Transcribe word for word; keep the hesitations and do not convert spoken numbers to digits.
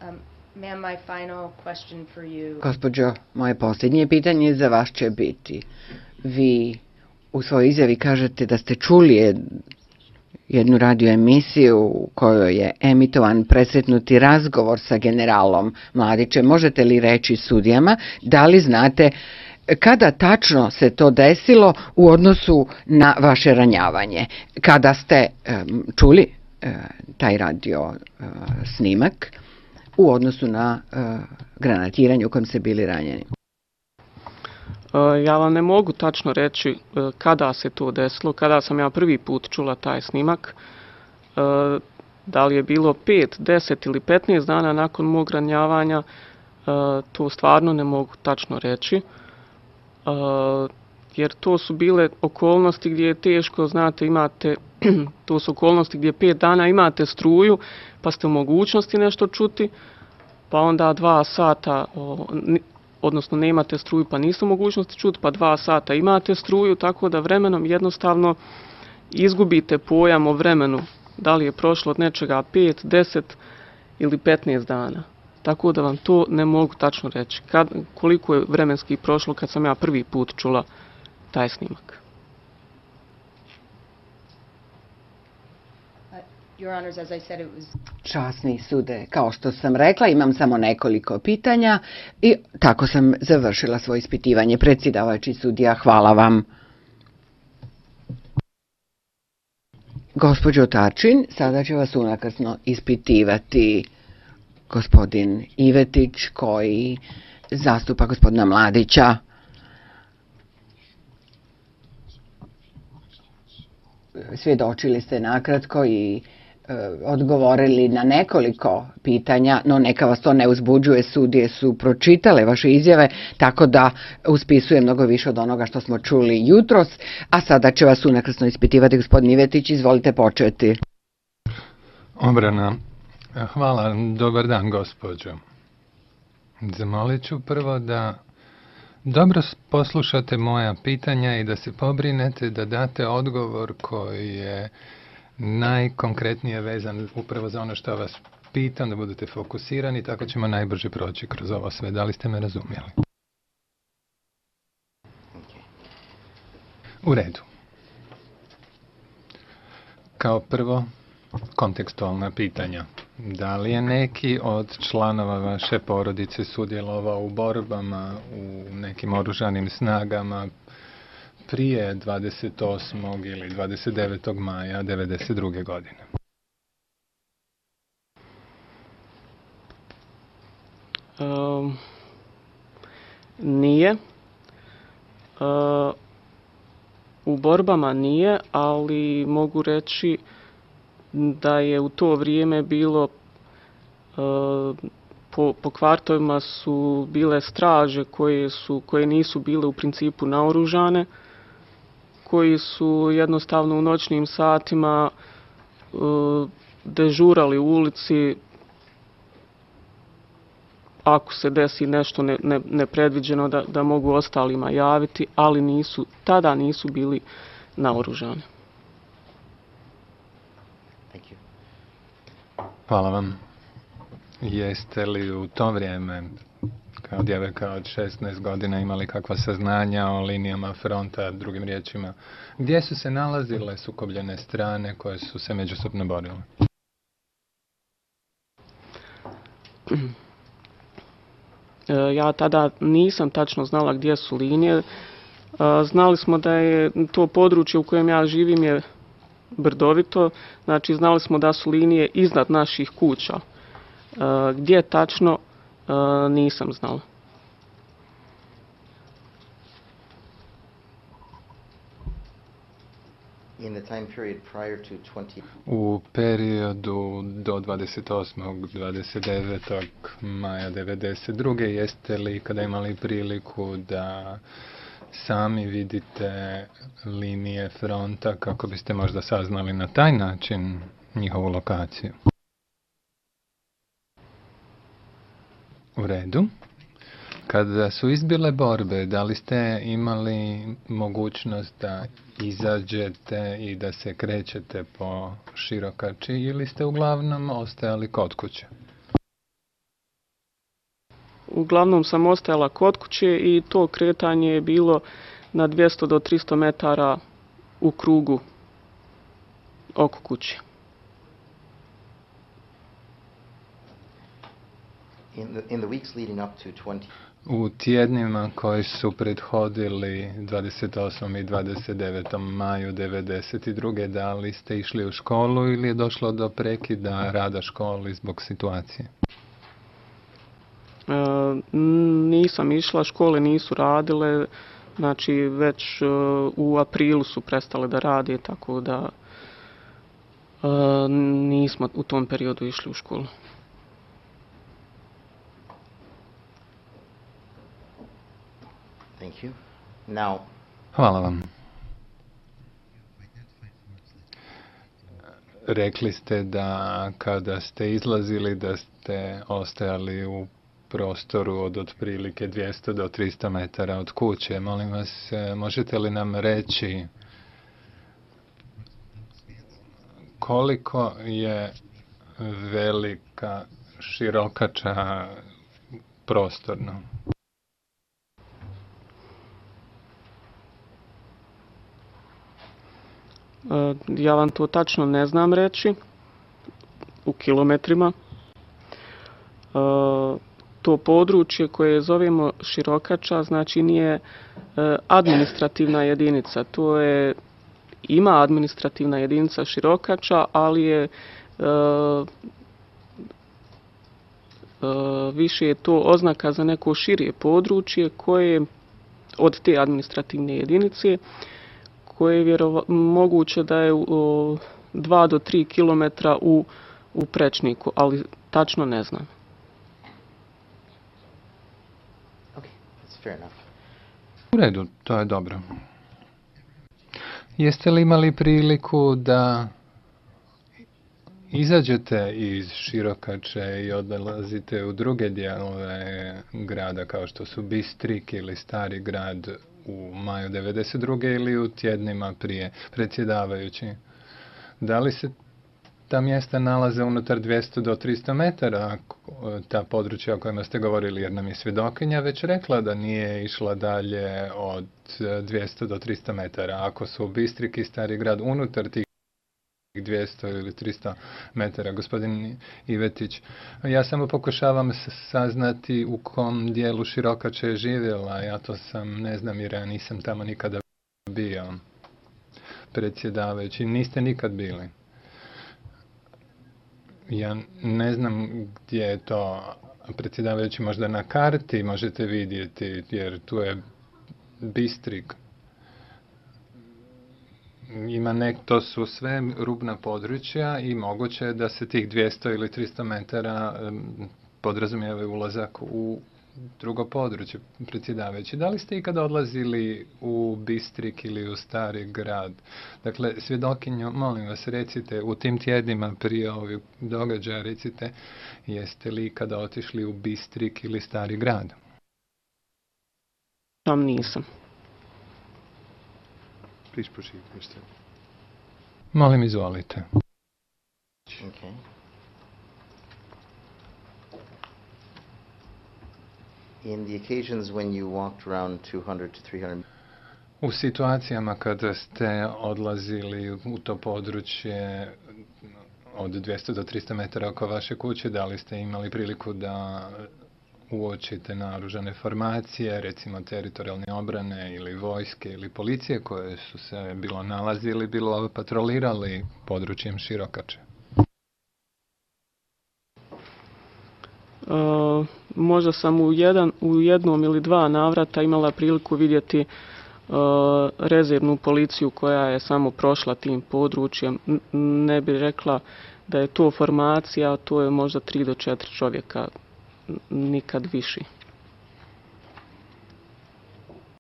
Um, ma'am, my final question for you. Gospođo, moje posljednje pitanje za vas će biti. Vi u svojoj izjavi kažete da ste čuli jednu radio emisiju u kojoj je emitovan presretnuti razgovor sa generalom Mladićem. Možete li reći sudijama da li znate kada tačno se to desilo u odnosu na vaše ranjavanje? Kada ste um, čuli uh, taj radio uh, snimak u odnosu na uh, granatiranje u kojem ste bili ranjeni? Ja vam ne mogu tačno reći kada se to desilo, kada sam ja prvi put čula taj snimak. Da li je bilo pet, deset ili petnaest dana nakon mog ranjavanja, to stvarno ne mogu tačno reći. Jer to su bile okolnosti gdje je teško, znate, imate, to su okolnosti gdje pet dana imate struju, pa ste u mogućnosti nešto čuti, pa onda dva sata, odnosno nemate struju pa niste u mogućnosti čuti, pa dva sata imate struju, tako da vremenom jednostavno izgubite pojam o vremenu, da li je prošlo od nečega pet, deset ili petnaest dana. Tako da vam to ne mogu tačno reći. Kad, koliko je vremenski prošlo kad sam ja prvi put čula taj snimak. Časni sude, kao što sam rekla, imam samo nekoliko pitanja i tako sam završila svoje ispitivanje. Predsjedavajući sudija, hvala vam. Gospođo Tačin, sada će vas unakrsno ispitivati gospodin Ivetić koji zastupa gospodina Mladića. Svjedočili ste nakratko i e, odgovorili na nekoliko pitanja, no neka vas to ne uzbuđuje, sudije su pročitale vaše izjave, tako da uspisuje mnogo više od onoga što smo čuli jutros, a sada će vas unakrsno ispitivati gospodin Ivetić, izvolite početi. Obrana. Hvala, dobar dan gospođo. Zamolit ću prvo da dobro poslušate moja pitanja i da se pobrinete da date odgovor koji je najkonkretnije vezan upravo za ono što vas pitam, da budete fokusirani, tako ćemo najbrže proći kroz ovo sve. Da li ste me razumjeli? U redu. Kao prvo, kontekstualna pitanja. Da li je neki od članova vaše porodice sudjelovao u borbama u nekim oružanim snagama prije dvadeset osmog ili dvadeset devetog maja devedeset druge godine? Um, nije. Uh, u borbama nije, ali mogu reći da je u to vrijeme bilo po, po kvartovima su bile straže koje, su, koje nisu bile u principu naoružane, koji su jednostavno u noćnim satima dežurali u ulici ako se desi nešto ne, ne, nepredviđeno da, da mogu ostalima javiti, ali nisu, tada nisu bili naoružani. Hvala vam. Jeste li u to vrijeme, kao djevojka od šesnaest godina, imali kakva saznanja o linijama fronta, drugim riječima, gdje su se nalazile sukobljene strane koje su se međusobno borile? Ja tada nisam tačno znala gdje su linije. Znali smo da je to područje u kojem ja živim je brdovito, znači znali smo da su linije iznad naših kuća. Gdje tačno, nisam znala. U periodu do dvadeset osmog do dvadeset devetog maja devedeset druge jeste li kada imali priliku da sami vidite linije fronta kako biste možda saznali na taj način njihovu lokaciju? U redu. Kada su izbile borbe, da li ste imali mogućnost da izađete i da se krećete po Širokači ili ste uglavnom ostajali kod kuće? uglavnom sam ostajala kod kuće i to kretanje je bilo na dvjesto do tristo metara u krugu oko kuće. In the, in the weeks leading up to twenty U tjednima koji su prethodili dvadeset osmom i dvadeset devetom maju devedeset druge da li ste išli u školu ili je došlo do prekida rada školi zbog situacije? E, nisam išla, škole nisu radile, znači već e, u aprilu su prestale da rade, tako da e, nismo u tom periodu išli u školu. Thank you. Now, Hvala vam. Rekli ste da kada ste izlazili da ste ostajali u prostoru od otprilike dvjesto do tristo metara od kuće. Molim vas, možete li nam reći koliko je velika širokača prostorno? Ja vam to tačno ne znam reći u kilometrima. To područje koje zovemo širokača, znači nije administrativna jedinica. To je, ima administrativna jedinica širokača, ali je više je to oznaka za neko širije područje koje od te administrativne jedinice koje je vjerova, moguće da je u dva do tri kilometra u, u prečniku, ali tačno ne znam. okay, that's fair enough. U redu, to je dobro. Jeste li imali priliku da izađete iz Širokače i odlazite u druge dijelove grada kao što su Bistrik ili Stari grad u maju devedeset druge ili u tjednima prije, predsjedavajući? Da li se ta mjesta nalaze unutar dvjesto do tristo metara, ta područja o kojima ste govorili, jer nam je svjedokinja već rekla da nije išla dalje od dvjesto do tristo metara. Ako su Bistrik i Stari grad unutar tih dvjesto ili tristo metara, gospodin Ivetić, ja samo pokušavam saznati u kom dijelu Širokače je živjela. Ja to sam, ne znam jer ja nisam tamo nikada bio. Predsjedavajući, niste nikad bili. Ja ne znam gdje je to, predsjedavajući, možda na karti možete vidjeti, jer tu je Bistrik. Ima nek, to su sve rubna područja i moguće je da se tih dvjesto ili tristo metara um, podrazumijeva ulazak u drugo područje, predsjedavajući. Da li ste ikada odlazili u Bistrik ili u Stari grad? Dakle, svjedokinjo, molim vas, recite, u tim tjednima prije ovih događaja, recite, jeste li ikada otišli u Bistrik ili Stari grad? Tam nisam. Please proceed, mister Molim, izvolite. Okay. In the occasions when you walked around two hundred to three hundred U situacijama kada ste odlazili u to područje od dvjesto do tristo metara oko vaše kuće, da li ste imali priliku da uočite naoružane formacije, recimo teritorijalne obrane ili vojske ili policije koje su se bilo nalazili, bilo patrolirali područjem Širokače? Uh, možda sam u, jedan, u jednom ili dva navrata imala priliku vidjeti uh, rezervnu policiju koja je samo prošla tim područjem. N- ne bih rekla da je to formacija, to je možda tri do četiri čovjeka, nikad više.